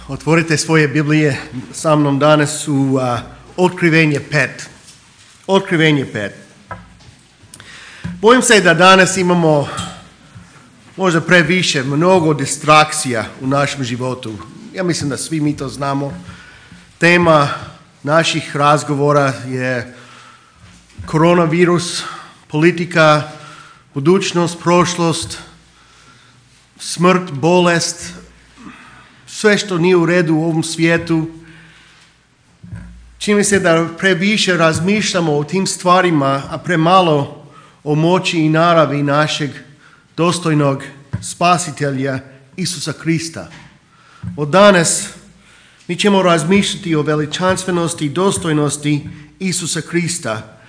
Otvorite svoje Biblije sa mnom danas u Otkrivenje 5. Otkrivenje 5. Bojim se da danas imamo možda previše, mnogo distrakcija u našem životu. Ja mislim da svi mi to znamo. Tema naših razgovora je koronavirus, politika, budućnost, prošlost, smrt, bolest, sve što nije u redu u ovom svijetu. Čini mi se da previše razmišljamo o tim stvarima, a premalo o moći i naravi našeg dostojnog spasitelja Isusa Krista. Od danas mi ćemo razmišljati o veličanstvenosti i dostojnosti Isusa Krista.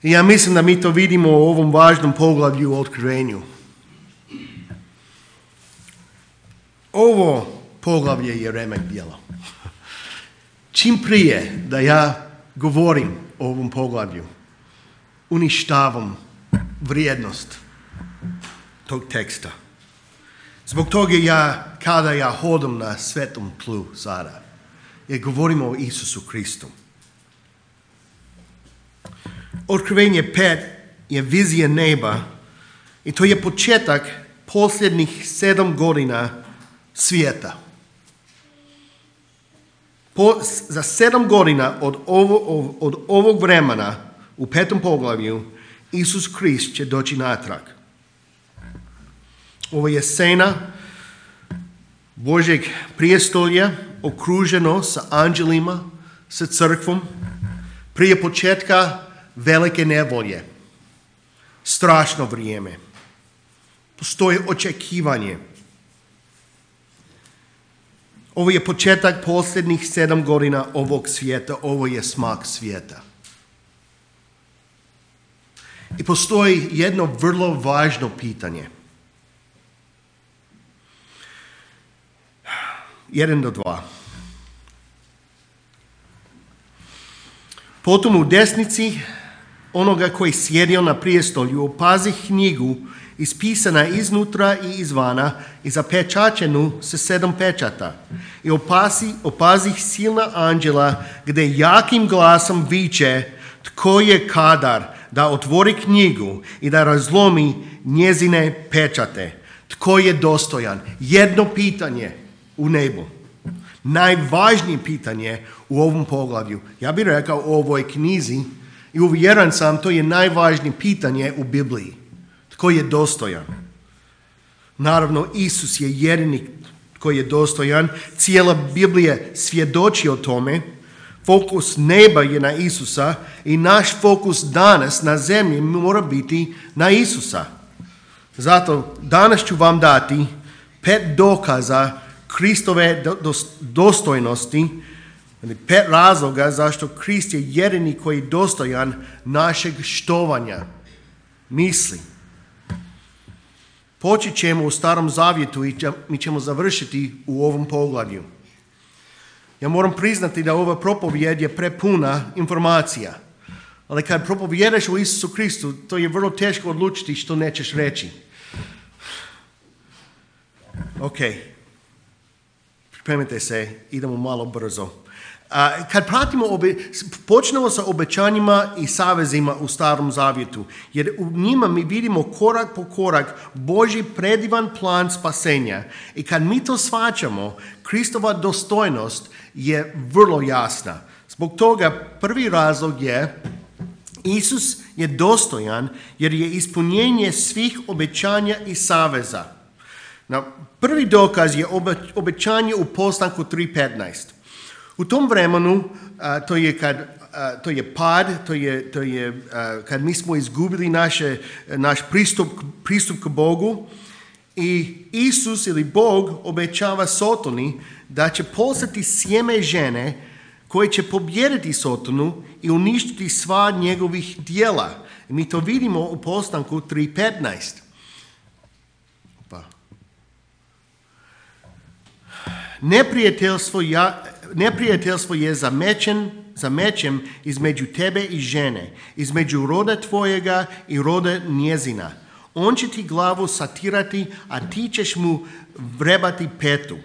I ja mislim da mi to vidimo u ovom važnom poglavlju u Otkrivenju. Ovo poglavlje je remek djelo. Čim prije da ja govorim o ovom poglavlju, uništavam vrijednost tog teksta. Zbog toga kada ja hodam na svetom tlu sada, jer govorimo o Isusu Kristu. Otkrivenje 5 je vizija neba i to je početak posljednjih 7 godina svijeta. Za 7 godina od ovog vremena u 5. poglavlju Isus Krist će doći natrag. Ovo je scena Božjeg prijestolja okruženo sa anđelima, sa crkvom, prije početka velike nevolje. Strašno vrijeme. Postoji očekivanje. Ovo je početak posljednjih 7 godina ovog svijeta. Ovo je smak svijeta. I postoji jedno vrlo važno pitanje. 1 do 2. Potom u desnici onoga koji sjedio na prijestolju opazi knjigu ispisana iznutra i izvana i zapečaćenu sa 7 pečata. I opazi silna anđela gdje jakim glasom viče tko je kadar da otvori knjigu i da razlomi njezine pečate. Tko je dostojan? Jedno pitanje u nebu. Najvažnije pitanje u ovom poglavlju. Ja bih rekao u ovoj knjizi i uvjeren sam to je najvažnije pitanje u Bibliji. Tko je dostojan? Naravno, Isus je jedini tko je dostojan. Cijela Biblija svjedoči o tome. Fokus neba je na Isusa i naš fokus danas na zemlji mora biti na Isusa. Zato danas ću vam dati 5 dokaza Kristove dostojnosti, 5 razloga zašto Krist je jedini koji je dostojan našeg štovanja, misli. Počet ćemo u Starom Zavjetu i mi ćemo završiti u ovom poglavlju. Ja moram priznati da ova propovjed je prepuna informacija. Ali kad propovjedaš o Isusu Kristu, to je vrlo teško odlučiti što nećeš reći. Ok. Pripremite se, idemo malo brzo. Kad počnemo sa obećanjima i savezima u Starom Zavjetu, jer u njima mi vidimo korak po korak Božji predivan plan spasenja. I kad mi to shvaćamo, Kristova dostojnost je vrlo jasna. Zbog toga prvi razlog je Isus je dostojan jer je ispunjenje svih obećanja i saveza. Prvi dokaz je obećanje u Postanku 3.15. U tom vremenu, to je pad, to je kad mi smo izgubili naš pristup k Bogu i Isus ili Bog obećava Sotoni da će poslati sjeme žene koje će pobijediti Sotonu i uništiti sva njegovih djela. I mi to vidimo u Postanku 3.15. Neprijateljstvo je za mečem između tebe i žene, između roda tvojega i roda njezina. On će ti glavu satirati, a ti ćeš mu vrebati petu.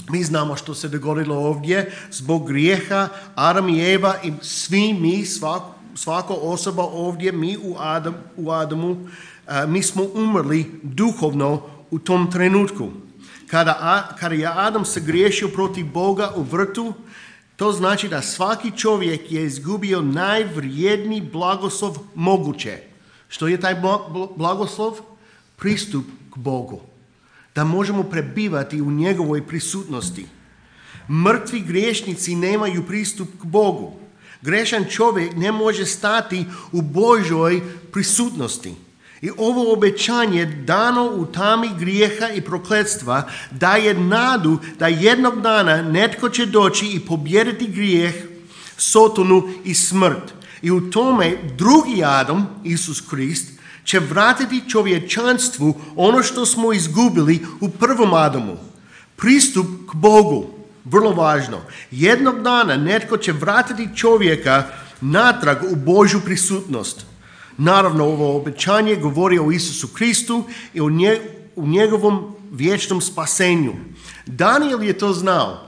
Mi znamo što se dogodilo ovdje zbog grijeha Adam i Eva i svi mi, svaka osoba ovdje, mi u Adamu, mi smo umrli duhovno u tom trenutku. Kada je Adam se griješio protiv Boga u vrtu, to znači da svaki čovjek je izgubio najvrijedniji blagoslov moguće. Što je taj blagoslov? Pristup k Bogu. Da možemo prebivati u njegovoj prisutnosti. Mrtvi griješnici nemaju pristup k Bogu. Grešan čovjek ne može stati u Božoj prisutnosti. I ovo obećanje dano u tami grijeha i prokletstva daje nadu da jednog dana netko će doći i pobijediti grijeh, sotonu i smrt. I u tome drugi Adam, Isus Krist, će vratiti čovječanstvu ono što smo izgubili u prvom Adamu. Pristup k Bogu, vrlo važno. Jednog dana netko će vratiti čovjeka natrag u Božju prisutnost. Naravno, ovo obećanje govori o Isusu Kristu i o njegovom vječnom spasenju. Daniel je to znao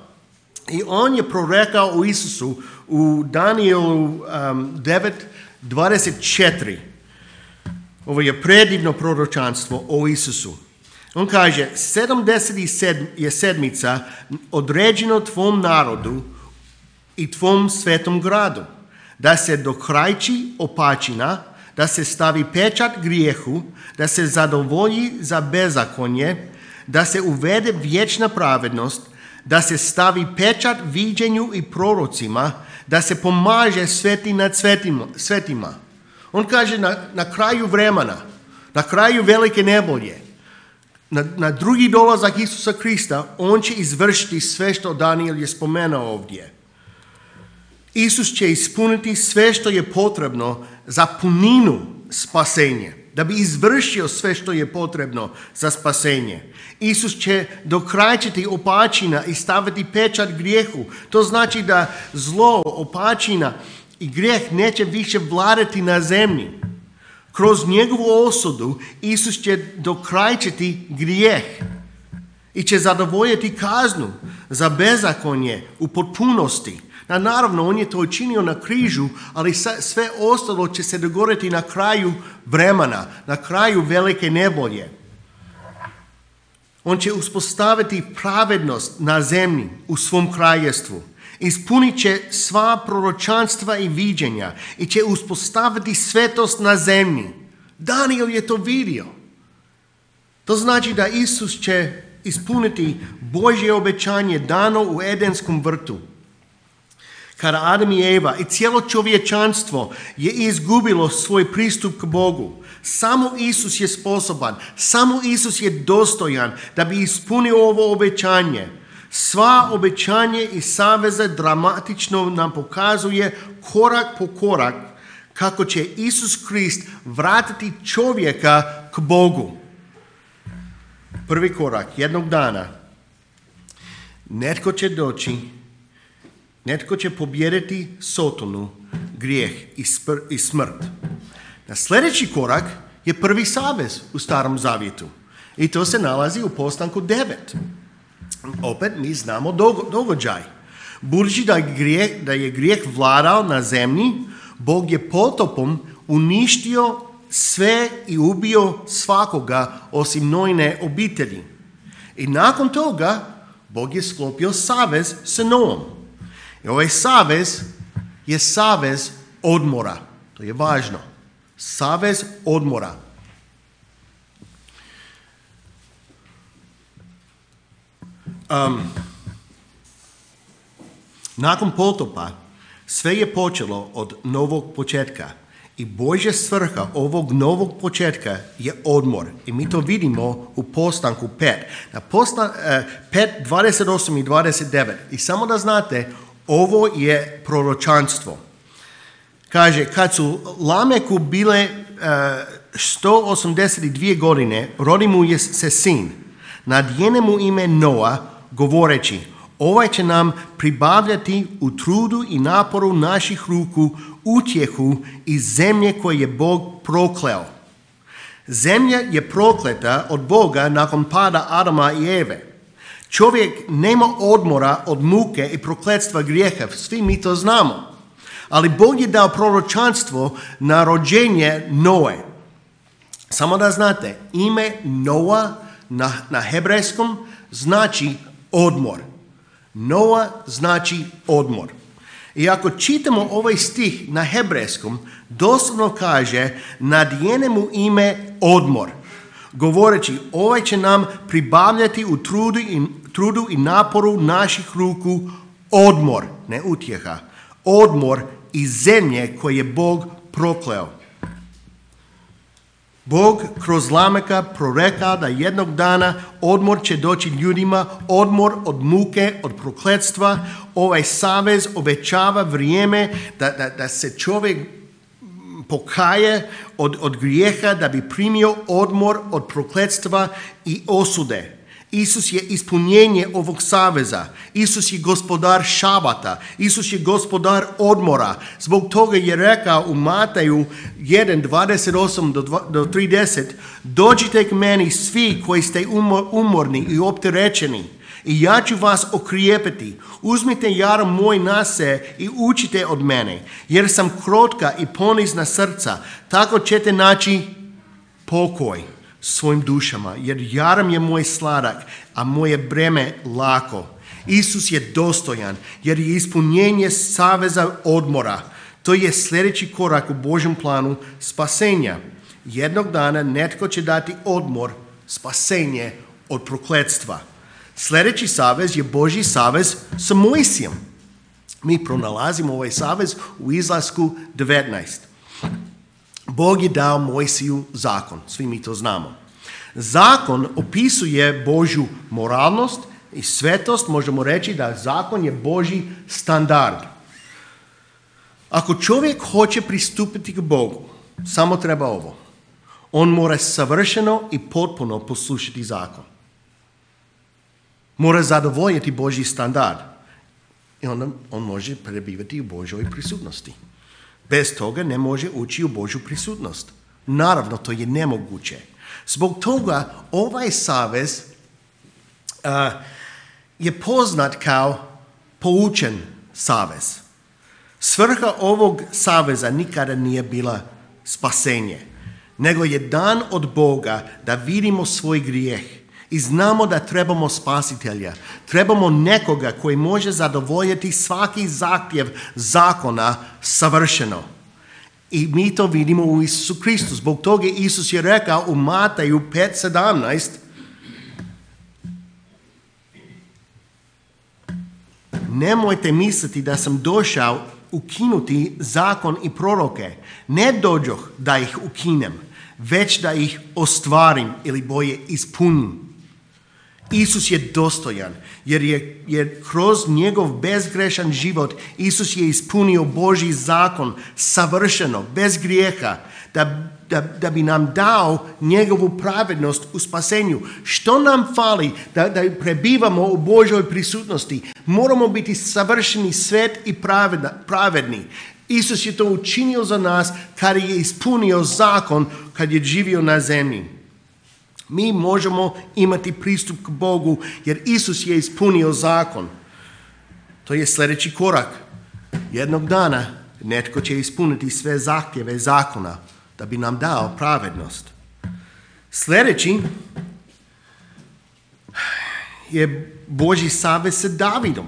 i on je prorekao o Isusu u Danielu 9:24. Ovo je predivno proročanstvo o Isusu. On kaže, 70 je sedmica određeno tvom narodu i tvom svetom gradu, da se dokrajči opačina, da se stavi pečat grijehu, da se zadovolji za bezakonje, da se uvede vječna pravednost, da se stavi pečat viđenju i prorocima, da se pomaže sveti nad svetima. On kaže na kraju vremena, na kraju velike nevolje, na drugi dolazak Isusa Krista, on će izvršiti sve što Daniel je spomenuo ovdje. Isus će ispuniti sve što je potrebno za puninu spasenje, da bi izvršio sve što je potrebno za spasenje. Isus će dokrajčiti opačina i staviti pečat grijehu. To znači da zlo, opačina i grijeh neće više vladati na zemlji. Kroz njegovu osudu Isus će dokrajčiti grijeh i će zadovoljiti kaznu za bezakonje u potpunosti. Naravno, on je to učinio na križu, ali sve ostalo će se dogoditi na kraju vremena, na kraju velike nevolje. On će uspostaviti pravednost na zemlji u svom kraljevstvu. Ispunit će sva proročanstva i viđenja i će uspostaviti svetost na zemlji. Daniel je to vidio. To znači da Isus će ispuniti Božje obećanje dano u Edenskom vrtu. Kada Adam i Eva i cijelo čovječanstvo je izgubilo svoj pristup k Bogu, samo Isus je sposoban, samo Isus je dostojan da bi ispunio ovo obećanje. Sva obećanje i saveze dramatično nam pokazuje korak po korak kako će Isus Krist vratiti čovjeka k Bogu. Prvi korak, jednog dana, netko će doći, netko će pobijediti sotonu, grijeh i smrt. Na sljedeći korak je prvi savez u Starom Zavjetu i to se nalazi u Postanku 9. Opet mi znamo događaj. Budući da je grijeh vladao na zemlji, Bog je potopom uništio sve i ubio svakoga osim Noine obitelji. I nakon toga Bog je sklopio savez sa Noom. I ovaj savez je savez odmora. To je važno. Savez odmora. Nakon potopa sve je počelo od novog početka i Božja svrha ovog novog početka je odmor. I mi to vidimo u Postanku 5. Na 5, 28 i 29. I samo da znate, ovo je proročanstvo. Kaže, kad su Lameku bile 182 godine, rodi mu se sin. Nadjene mu ime Noa, govoreći, ovaj će nam pribavljati u trudu i naporu naših ruku utjehu iz zemlje koje je Bog prokleo. Zemlja je prokleta od Boga nakon pada Adama i Eve. Čovjek nema odmora od muke i prokletstva grijeha, svi mi to znamo. Ali Bog je dao proročanstvo na rođenje Noe. Samo da znate, ime Noa na hebrejskom znači odmor. Noa znači odmor. I ako čitamo ovaj stih na hebrejskom, doslovno kaže nadijene mu ime odmor. Govoreći, ovaj će nam pribavljati u trudu i naporu naših ruku odmor, ne utjeha, odmor iz zemlje koje je Bog prokleo. Bog kroz Lameka prorekao da jednog dana odmor će doći ljudima, odmor od muke, od prokletstva. Ovaj savez obećava vrijeme da se čovjek pokaje od grijeha, da bi primio odmor od prokletstva i osude. Isus je ispunjenje ovog saveza. Isus je gospodar šabata. Isus je gospodar odmora. Zbog toga je rekao u Mataju 1:28 do 30, dođite k meni svi koji ste umorni i opterećeni, i ja ću vas okrijepiti. Uzmite jar moj na se i učite od mene, jer sam krotka i ponizna srca, tako ćete naći pokoj svojim dušama, jer jaram je moj sladak, a moje breme lako. Isus je dostojan, jer je ispunjenje saveza odmora. To je sljedeći korak u Božjem planu spasenja. Jednog dana netko će dati odmor, spasenje od prokletstva. Sljedeći savez je Božji savez sa Mojsijem. Mi pronalazimo ovaj savez u Izlasku 19. Bog je dao Mojsiju zakon, svi mi to znamo. Zakon opisuje Božju moralnost i svetost, možemo reći da zakon je Božji standard. Ako čovjek hoće pristupiti k Bogu, samo treba ovo. On mora savršeno i potpuno poslušati zakon. Mora zadovoljiti Božji standard. I onda on može prebivati u Božjoj prisutnosti. Bez toga ne može ući u Božju prisutnost. Naravno, to je nemoguće. Zbog toga ovaj savez je poznat kao poučen savez. Svrha ovog saveza nikada nije bila spasenje, nego je dan od Boga da vidimo svoj grijeh i znamo da trebamo spasitelja. Trebamo nekoga koji može zadovoljiti svaki zahtjev zakona savršeno. I mi to vidimo u Isusu Kristu. Zbog toga Isus je rekao u Mataju 5:17, nemojte misliti da sam došao ukinuti zakon i proroke. Ne dođoh da ih ukinem, već da ih ostvarim ili bolje ispunim. Isus je dostojan, jer kroz njegov bezgrešan život Isus je ispunio Božji zakon savršeno, bez grijeha, da bi nam dao njegovu pravednost u spasenju. Što nam fali da prebivamo u Božjoj prisutnosti? Moramo biti savršeni, svet i pravedni. Isus je to učinio za nas kad je ispunio zakon, kad je živio na zemlji. Mi možemo imati pristup k Bogu jer Isus je ispunio zakon. To je sljedeći korak. Jednog dana netko će ispuniti sve zahtjeve zakona da bi nam dao pravednost. Sljedeći je Božji savez sa Davidom.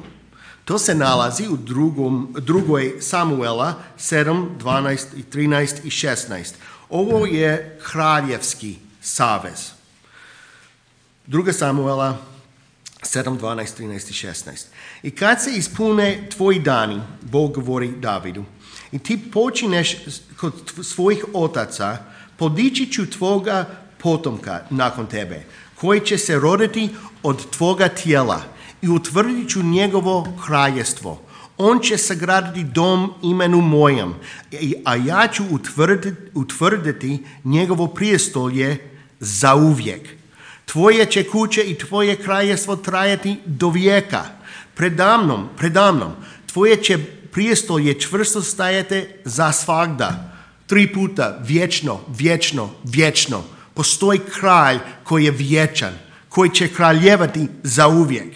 To se nalazi u drugoj Samuela 7, 12, 13 i 16. Ovo je kraljevski savez. 2. Samuela 7, 12, 13 i 16. I kad se ispune tvoji dani, Bog govori Davidu, i ti počineš kod svojih otaca, podići ću tvoga potomka nakon tebe, koji će se roditi od tvoga tijela i utvrdit ću njegovo kraljestvo. On će sagraditi dom imenu mojem, a ja ću utvrditi njegovo prijestolje zauvijek. Tvoje će kuće i tvoje kraljestvo trajati do vijeka. Predamnom, tvoje će prijestolje čvrsto stajati za svagda. 3 puta, vječno, vječno, vječno. Postoji kralj koji je vječan, koji će kraljevati zauvijek.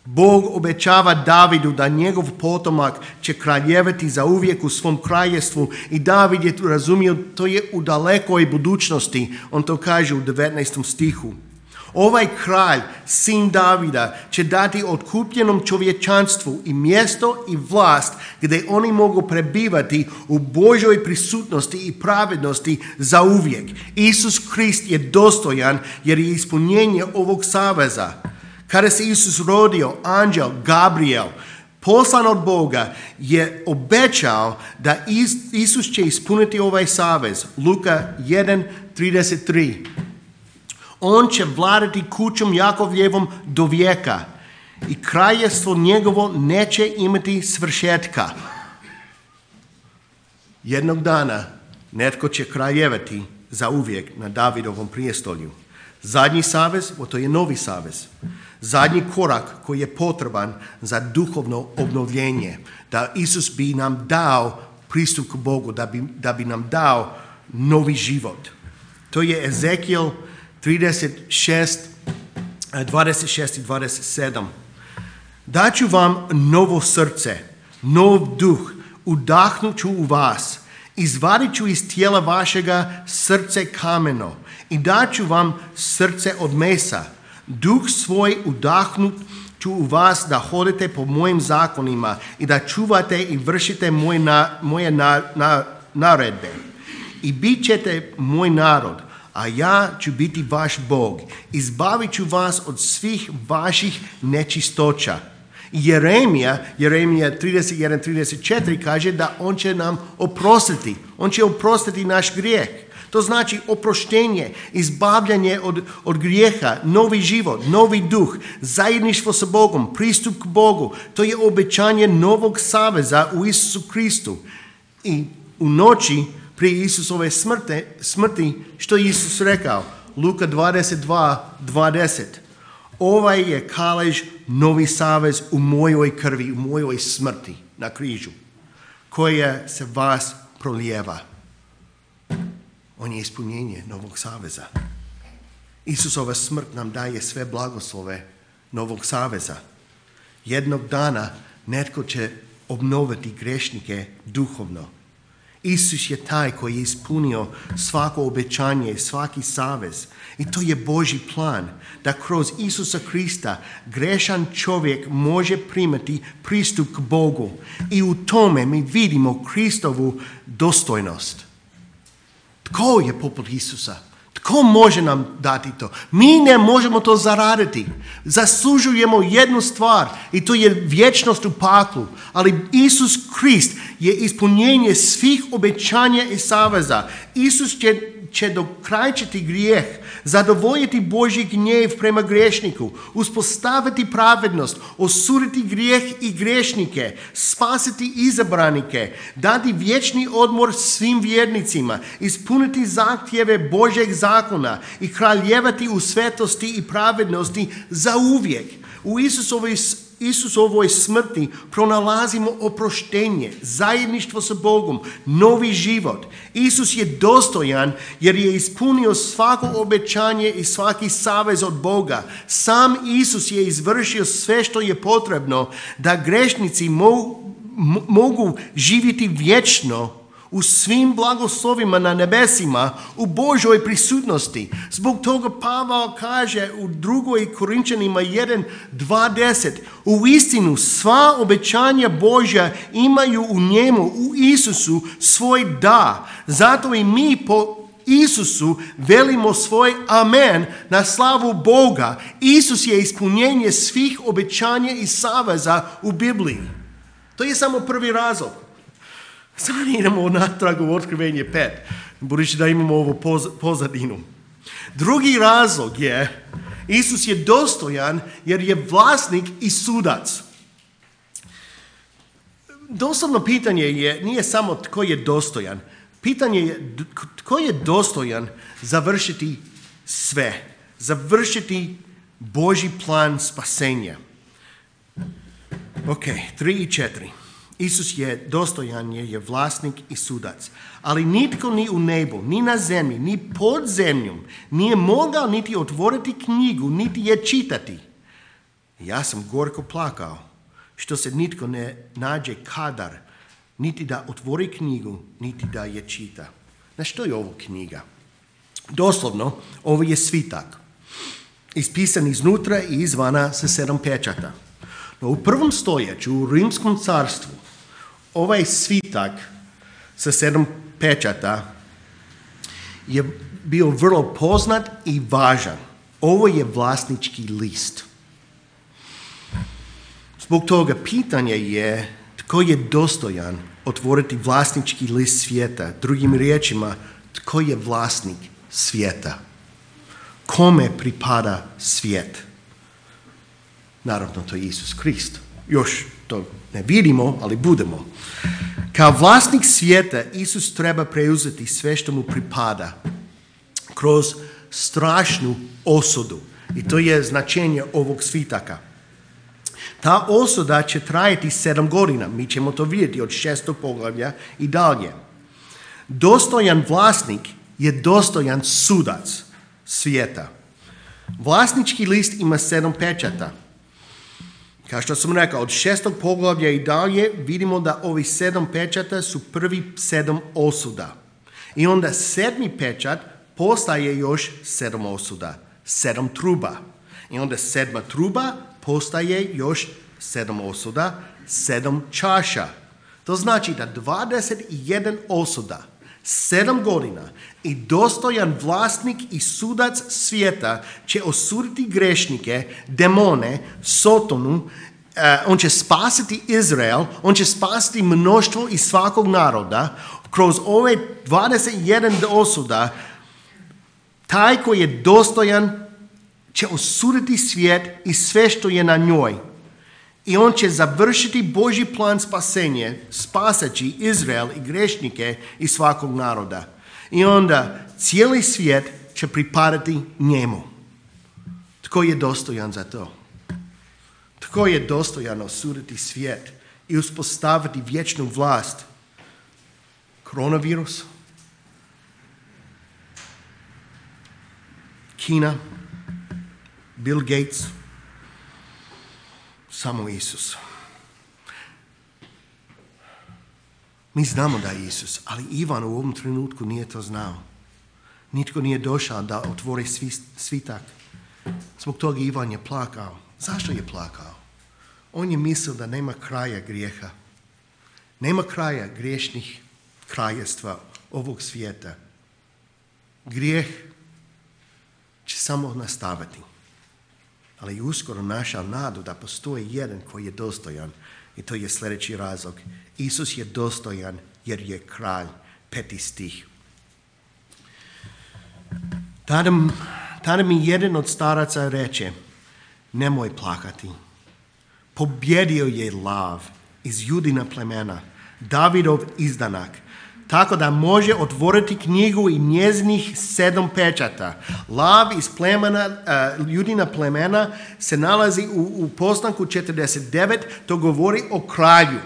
Bog obećava Davidu da njegov potomak će kraljevati zauvijek u svom kraljevstvu i David je razumio to je u dalekoj budućnosti. On to kaže u 19. stihu. Ovaj kralj, sin Davida, će dati otkupljenom čovječanstvu i mjesto i vlast gdje oni mogu prebivati u Božoj prisutnosti i pravednosti zauvijek. Isus Krist je dostojan jer je ispunjenje ovog saveza. Kada se Isus rodio, anđel Gabriel, poslan od Boga, je obećao da Isus će ispuniti ovaj savez. Luka 1:33. On će vladati kućom Jakovljevom do vijeka i kraljevstvo njegovo neće imati svršetka. Jednog dana netko će kraljevati zauvijek na Davidovom prijestolju. Zadnji savez, to je novi savez. Zadnji korak koji je potreban za duhovno obnovljenje, da Isus bi nam dao pristup k Bogu, da bi nam dao novi život. To je Ezekiel 36, 26 i 27. Daću vam novo srce, nov duh, udahnut ću u vas, izvadit ću iz tijela vašega srce kameno i daću vam srce od mesa. Duh svoj udahnut ću u vas da hodite po mojim zakonima i da čuvate i vršite moje naredbe. I bit ćete moj narod, a ja ću biti vaš Bog. Izbavit ću vas od svih vaših nečistoća. Jeremija 31:34 kaže da on će nam oprostiti. On će oprostiti naš grijeh. To znači oproštenje, izbavljanje od grijeha, novi život, novi duh, zajedništvo sa Bogom, pristup k Bogu. To je obećanje novog saveza u Isusu Kristu. I u noći prije Isusove smrti, što je Isus rekao? Luka 22:20. Ovaj je kalež novi savez u mojoj krvi, u mojoj smrti na križu, koja se vas prolijeva. On je ispunjenje novog saveza. Isusova smrt nam daje sve blagoslove novog saveza. Jednog dana netko će obnoviti grešnike duhovno. Isus je taj koji je ispunio svako obećanje, svaki savez. I to je Božji plan, da kroz Isusa Krista grešan čovjek može primati pristup k Bogu. I u tome mi vidimo Kristovu dostojnost. Tko je poput Isusa? Tko može nam dati to? Mi ne možemo to zaraditi. Zaslužujemo jednu stvar i to je vječnost u paklu. Ali Isus Krist je ispunjenje svih obećanja i saveza. Isus će dokrajčiti grijeh, zadovoljiti Božji gnjev prema grešniku, uspostaviti pravednost, osuditi grijeh i grešnike, spasiti izabranike, dati vječni odmor svim vjernicima, ispuniti zahtjeve Božjeg zakona i kraljevati u svetosti i pravednosti zauvijek. U Isusovoj smrti pronalazimo oproštenje, zajedništvo sa Bogom, novi život. Isus je dostojan jer je ispunio svako obećanje i svaki savez od Boga. Sam Isus je izvršio sve što je potrebno da grešnici mogu živjeti vječno u svim blagoslovima na nebesima, u Božoj prisutnosti. Zbog toga Pavao kaže u 2. Korinčanima 1:20, u istinu sva obećanja Božja imaju u njemu, u Isusu, svoj da. Zato i mi po Isusu velimo svoj amen na slavu Boga. Isus je ispunjenje svih obećanja i saveza u Bibliji. To je samo prvi razlog. Sada idemo natrag u Otkrivenje 5, budući da imamo ovu pozadinu. Drugi razlog je, Isus je dostojan jer je vlasnik i sudac. Doslovno pitanje nije samo tko je dostojan. Pitanje je tko je dostojan završiti sve, završiti Božji plan spasenja. Ok, 3 i 4. Isus je dostojan jer je vlasnik i sudac. Ali nitko ni u nebu, ni na zemlji, ni pod zemljom nije mogao niti otvoriti knjigu, niti je čitati. Ja sam gorko plakao što se nitko ne nađe kadar, niti da otvori knjigu, niti da je čita. Na što je ovo knjiga? Doslovno, ovo je svitak, ispisan iznutra i izvana sa 7 pečata. No u prvom stoljeću u Rimskom carstvu ovaj svitak sa 7 pečata je bio vrlo poznat i važan. Ovo je vlasnički list. Zbog toga pitanje je tko je dostojan otvoriti vlasnički list svijeta. Drugim riječima, tko je vlasnik svijeta? Kome pripada svijet? Naravno, to je Isus Krist. Još to ne vidimo, ali budemo. Kao vlasnik svijeta, Isus treba preuzeti sve što mu pripada kroz strašnu osudu. I to je značenje ovog svitaka. Ta osuda će trajati 7 godina. Mi ćemo to vidjeti od 6. poglavlja i dalje. Dostojan vlasnik je dostojan sudac svijeta. Vlasnički list ima 7 pečata. Kao što sam rekao, od 6. poglavlja i dalje vidimo da ovi 7 pečata su prvi 7 osuda. I onda 7. pečat postaje još 7 osuda, 7 truba. I onda 7. truba postaje još 7 osuda, 7 čaša. To znači da 21 osuda, 7 godina i dostojan vlasnik i sudac svijeta će osuditi grešnike, demone, Sotonu, on će spasiti Izrael, on će spasiti mnoštvo iz svakog naroda. Kroz ove 21 osuda, taj koji je dostojan će osuditi svijet i sve što je na njoj. I on će završiti Božji plan spasenje, spasaći Izrael i grešnike iz svakog naroda. I onda cijeli svijet će pripadati njemu. Tko je dostojan za to? Tko je dostojan osuditi svijet i uspostaviti vječnu vlast? Koronavirus? Kina? Bill Gates? Samo Isus. Mi znamo da je Isus, ali Ivan u ovom trenutku nije to znao. Nitko nije došao da otvori svitak. Zbog toga Ivan je plakao. Zašto je plakao? On je mislio da nema kraja grijeha. Nema kraja griješnih kraljevstva ovog svijeta. Grijeh će samo nastaviti. Ali uskoro našao nadu da postoji jedan koji je dostojan. I to je sljedeći razlog. Isus je dostojan jer je kralj. 5. stih. Tada mi jedan od staraca reče, nemoj plakati. Pobjedio je lav iz Judina plemena, Davidov izdanak, tako da može otvoriti knjigu i njezinih 7 pečata. Lav iz Judina plemena se nalazi u Postanku 49, to govori o kralju.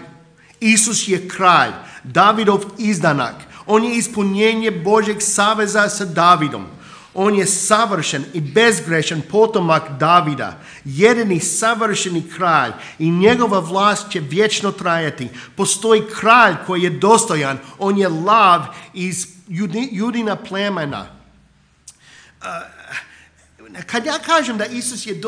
Isus je kralj, Davidov izdanak. On je ispunjenje Božjeg saveza sa Davidom. On je savršen i bezgrešan potomak Davida, jedini savršeni kralj i njegova vlast će vječno trajati. Postoji kralj koji je dostojan, on je lav iz Judina plemena. Kad ja kažem da Isus je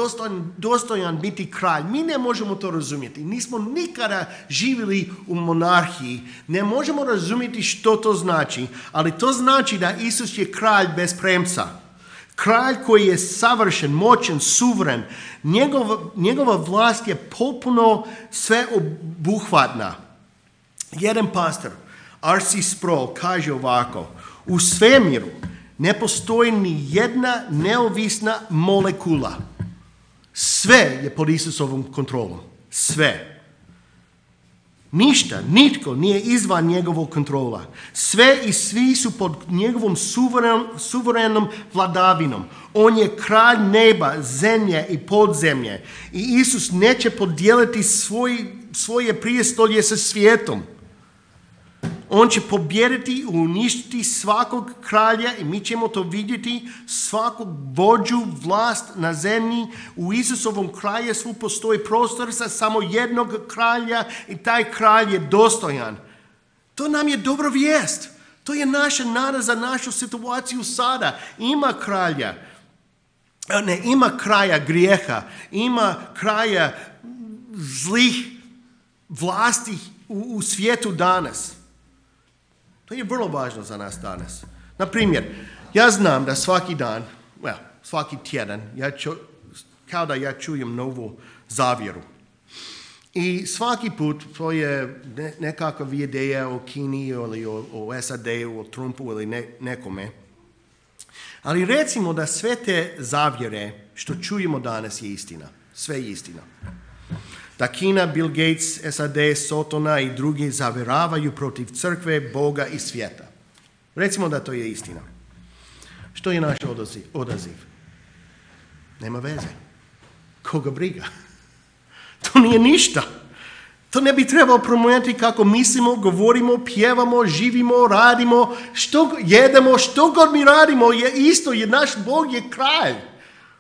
dostojan biti kralj, mi ne možemo to razumjeti. Nismo nikada živjeli u monarhiji. Ne možemo razumjeti što to znači, ali to znači da Isus je kralj bez premca. Kralj koji je savršen, moćan, suveren. Njegova vlast je potpuno sveobuhvatna. Jedan pastor, R.C. Sproul, kaže ovako: u svemiru ne postoji ni jedna neovisna molekula. Sve je pod Isusovom kontrolom. Sve. Ništa, nitko nije izvan njegovog kontrola. Sve i svi su pod njegovom suverenom vladavinom. On je kralj neba, zemlje i podzemlje. I Isus neće podijeliti svoje prijestolje sa svijetom. On će pobijediti i uništiti svakog kralja i mi ćemo to vidjeti, svakog vođu, vlast na zemlji. U Isusovom kraljevstvu postoji prostor za samo jednog kralja i taj kralj je dostojan. To nam je dobra vijest. To je naša nada za našu situaciju sada. Ima kralja. Ne, ima kraja grijeha. Ima kraja zlih vlasti u svijetu danas. To je vrlo važno za nas danas. Na primjer, ja znam da svaki dan, svaki tjedan, kao da ja čujem novu zavjeru. I svaki put to je nekakva ideja o Kini ili o SAD-u, o Trumpu ili nekome. Ali recimo da sve te zavjere što čujemo danas je istina. Sve je istina. Da Kina, Bill Gates, SAD, Sotona i drugi zavjeravaju protiv crkve, Boga i svijeta. Recimo da to je istina. Što je naš odaziv? Nema veze. Koga briga? To nije ništa. To ne bi trebalo promijeniti kako mislimo, govorimo, pjevamo, živimo, radimo, što jedemo, što god mi radimo je isto, jer naš Bog je kralj.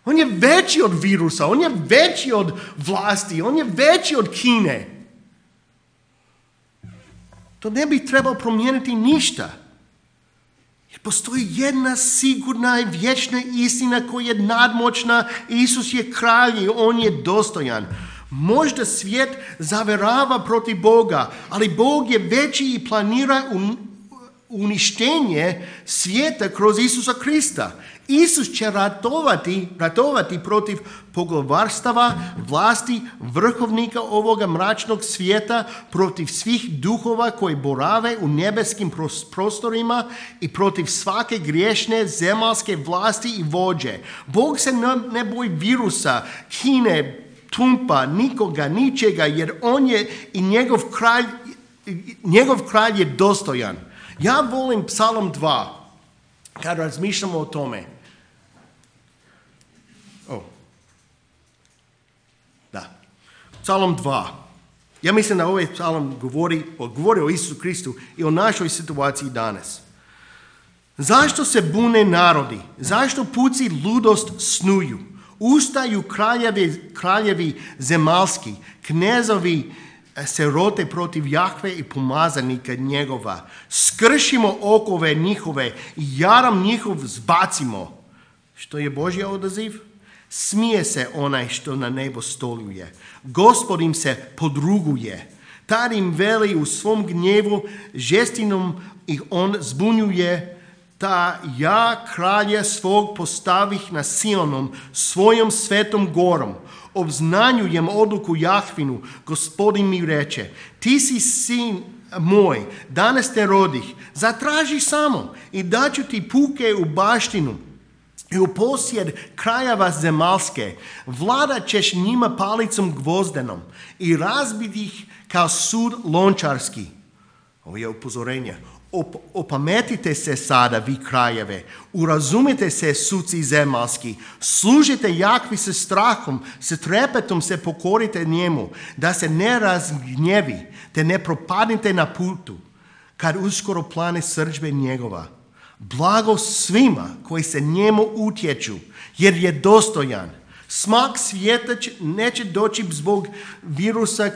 On je veći od virusa, on je veći od vlasti, on je veći od Kine. To ne bi trebalo promijeniti ništa. Jer postoji jedna sigurna i vječna istina koja je nadmoćna. Isus je kralj i on je dostojan. Možda svijet zaverava protiv Boga, ali Bog je veći i planira uništenje svijeta kroz Isusa Krista. Isus će ratovati protiv poglavarstava, vlasti, vrhovnika ovoga mračnog svijeta, protiv svih duhova koji borave u nebeskim prostorima i protiv svake griješne zemaljske vlasti i vođe. Bog se ne boji virusa, Kine, Trumpa, nikoga, ničega, jer on je i njegov kralj je dostojan. Ja volim Psalm 2, kad razmišljamo o tome. Psalm 2. Ja mislim da ovaj psalm govori o Isusu Kristu i o našoj situaciji danas. Zašto se bune narodi? Zašto puci ludost snuju? Ustaju kraljevi zemaljski, knezovi se rote protiv Jahve i pomazanika njegova. Skršimo okove njihove i jaram njihov zbacimo. Što je Božji odaziv? Smije se onaj što na nebo stoluje. Gospod im se podruguje. Tad im veli u svom gnjevu, žestinom ih on zbunjuje. Ta ja kralja svog postavih na Sionom, svojom svetom gorom. Obznanjujem odluku Jahvinu, Gospodin mi reče, ti si sin moj, danas te rodih, zatraži samo i daću ti puke u baštinu i u posjed krajeva zemaljske. Vladat ćeš njima palicom gvozdenom i razbiti ih kao sud lončarski. Ovo je upozorenje. Opametite se sada, vi krajeve, urazumite se, suci zemaljski, služite Jahvi sa strahom, sa trepetom se pokorite njemu, da se ne razgnjevi, te ne propadnite na putu, kad uskoro plane srdžbe njegova. Blago svima koji se njemu utječu, jer je dostojan. Smak svijeta neće doći zbog virusa,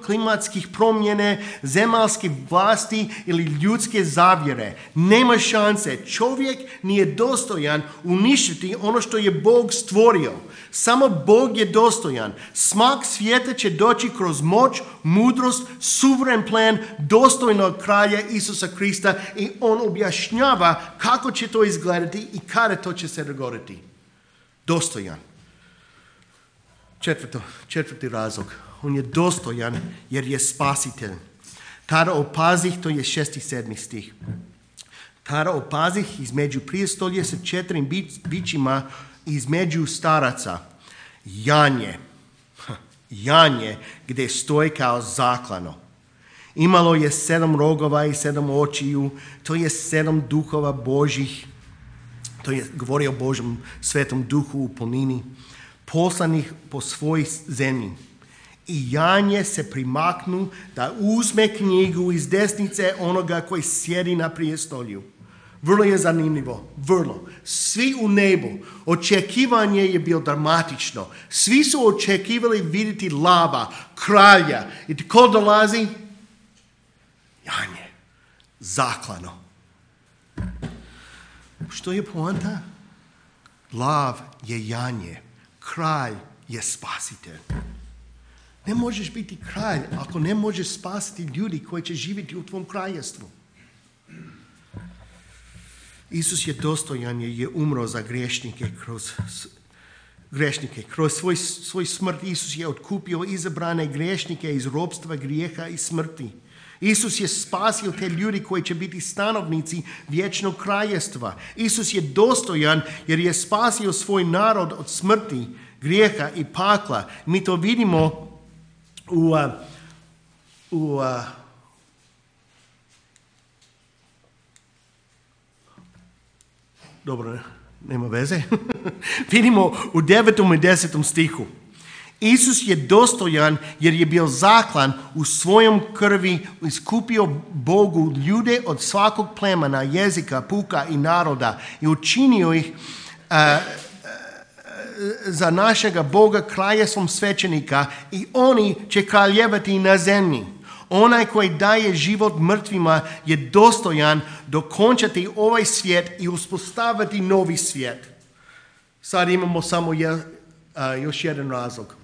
klimatskih promjene, zemaljskih vlasti ili ljudske zavjere. Nema šanse. Čovjek nije dostojan uništiti ono što je Bog stvorio. Samo Bog je dostojan. Smak svijeta će doći kroz moć, mudrost, suveren plan dostojnog kralja Isusa Krista i on objašnjava kako će to izgledati i kada to će se dogoditi. Dostojan. Četvrti razlog. On je dostojan jer je spasitelj. Tada opazih, to je 6. i 7. stih. Tada opazih između prijestolja sa 4 bićima između staraca. Janje gdje stoji kao zaklano. Imalo je 7 rogova i 7 očiju. To je 7 duhova Božih. To je govori o Božjem svetom duhu u punini. Poslanih po svojoj zemlji. I janje se primaknu da uzme knjigu iz desnice onoga koji sjedi na prijestolju. Vrlo je zanimljivo, vrlo. Svi u nebu, očekivanje je bilo dramatično. Svi su očekivali vidjeti lava, kralja. I tko dolazi? Janje, zaklano. Što je poanta? Lav je janje, kralj je spasitelj. Ne možeš biti kralj ako ne možeš spasiti ljudi koji će živjeti u tvom kraljevstvu. Isus je dostojan jer je umro za grešnike kroz svoj smrt. Isus je otkupio izabrane grešnike iz ropstva, grijeha i smrti. Isus je spasio te ljudi koji će biti stanovnici vječnog kraljevstva. Isus je dostojan jer je spasio svoj narod od smrti, grijeha i pakla. Mi to vidimo dobro, nema veze. Vidimo u 9. i 10. stihu. Isus je dostojan jer je bio zaklan u svojom krvi, iskupio Bogu ljude od svakog plemena, jezika, puka i naroda i učinio ih za našega Boga kraljevstvom svećenika i oni će kraljevati na zemlji. Onaj koji daje život mrtvima je dostojan dokončati ovaj svijet i uspostaviti novi svijet. Sad imamo samo još jedan razlog.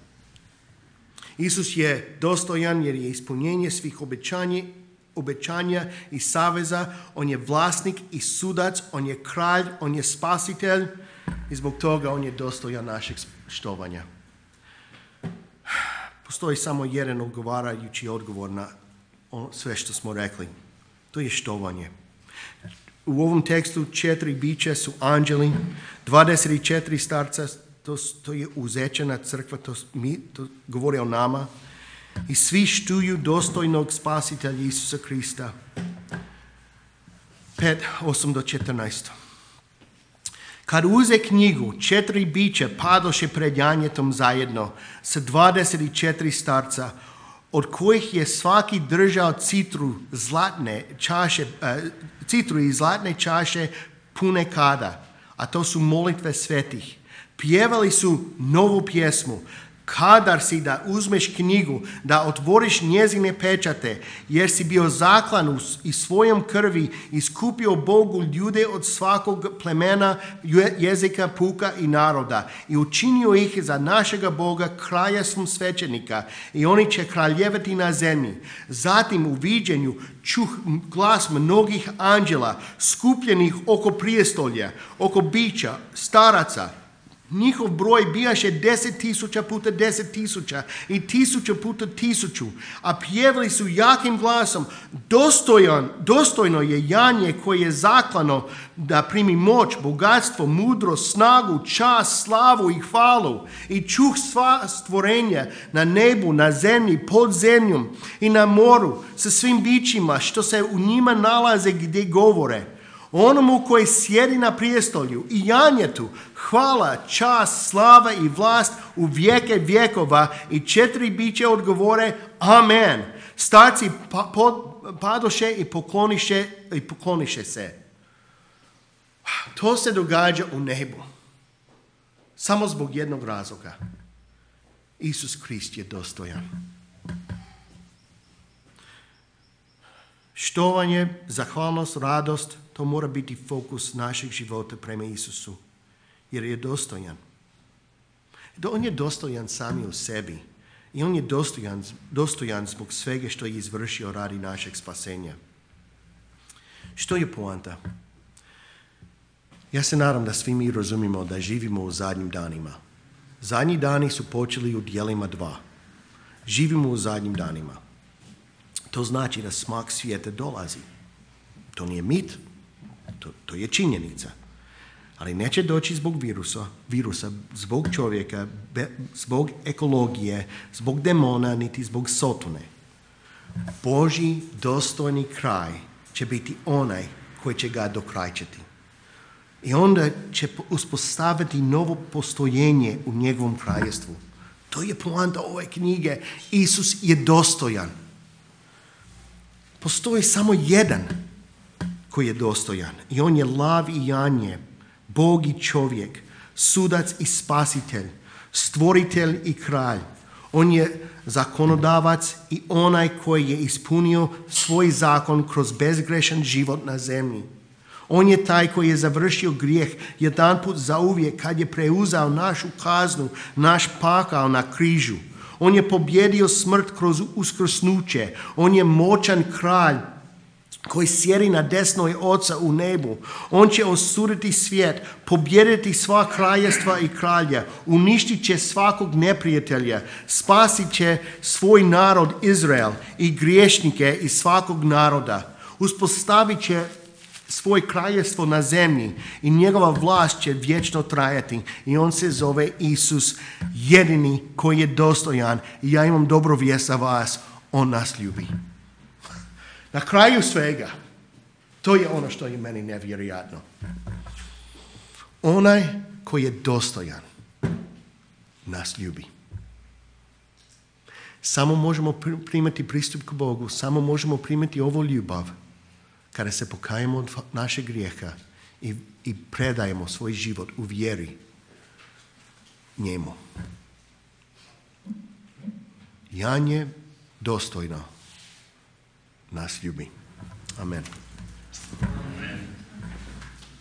Isus je dostojan jer je ispunjenje svih obećanja i saveza. On je vlasnik i sudac, on je kralj, on je spasitelj i zbog toga on je dostojan našeg štovanja. Postoji samo jedan odgovarajući odgovor na sve što smo rekli. To je štovanje. U ovom tekstu 4 bića su anđeli, 24 starca, to je uzečena crkva, to govori o nama. I svi štuju dostojnog spasitelja Isusa Krista. 5, 8 do 14. Kad uze knjigu, 4 bića padoše pred janjetom zajedno sa 24 starca, od kojih je svaki držao citru i zlatne čaše pune kada, a to su molitve svetih. Pjevali su novu pjesmu. Kadar si da uzmeš knjigu, da otvoriš njezine pečate, jer si bio zaklan i svojom krvi iskupio Bogu ljude od svakog plemena, jezika, puka i naroda i učinio ih za našega Boga kraljevstvom svećenika i oni će kraljevati na zemlji. Zatim u viđenju čuh glas mnogih anđela skupljenih oko prijestolja, oko bića, staraca. Njihov broj bijaše 10,000 puta 10,000 i 1000 puta 1000, a pjevali su jakim glasom: dostojno je janje koje je zaklano da primi moć, bogatstvo, mudrost, snagu, čast, slavu i hvalu. I čuh sva stvorenja na nebu, na zemlji, pod zemljom i na moru sa svim bićima što se u njima nalaze gdje govore. Onomu koji sjedi na prijestolju i janjetu hvala, čast, slava i vlast u vijeke vjekova. I 4 biće odgovore amen. Starci padoše i pokloniše se. To se događa u nebu. Samo zbog jednog razloga. Isus Krist je dostojan. Štovanje, zahvalnost, radost, to mora biti fokus našeg života prema Isusu, jer je dostojan. On je dostojan sami u sebi i on je dostojan zbog svega što je izvršio radi našeg spasenja. Što je poanta? Ja se nadam da svi mi razumimo da živimo u zadnjim danima. Zadnji dani su počeli u dijelima 2. Živimo u zadnjim danima. To znači da smak svijeta dolazi. To nije mit, to je činjenica. Ali neće doći zbog virusa, zbog čovjeka, zbog ekologije, zbog demona, niti zbog sotone. Božji dostojni kraj će biti onaj koji će ga dokrajčiti. I onda će uspostaviti novo postojenje u njegovom kraljevstvu. To je poanta ove knjige. Isus je dostojan. Postoji samo jedan koji je dostojan. I on je lav i janje, Bog i čovjek, sudac i spasitelj, stvoritelj i kralj. On je zakonodavac i onaj koji je ispunio svoj zakon kroz bezgrešan život na zemlji. On je taj koji je završio grijeh jedanput zauvijek kad je preuzeo našu kaznu, naš pakao na križu. On je pobjedio smrt kroz uskrsnuće. On je moćan kralj koji sjedi na desnoj Oca u nebu. On će osuditi svijet, pobjediti sva kraljevstva i kralja, uništit će svakog neprijatelja, spasit će svoj narod Izrael i griješnike iz svakog naroda. Uspostavit će svoje kraljevstvo na zemlji i njegova vlast će vječno trajati. I on se zove Isus, jedini koji je dostojan. I ja imam dobru vijest za vas, on nas ljubi. Na kraju svega, to je ono što je meni nevjerojatno. Onaj koji je dostojan nas ljubi. Samo možemo primati pristup k Bogu, samo možemo primati ovu ljubav kada se pokajemo od našeg grijeha i predajemo svoj život u vjeri njemu. Janje dostojno nas ljubi. Amen.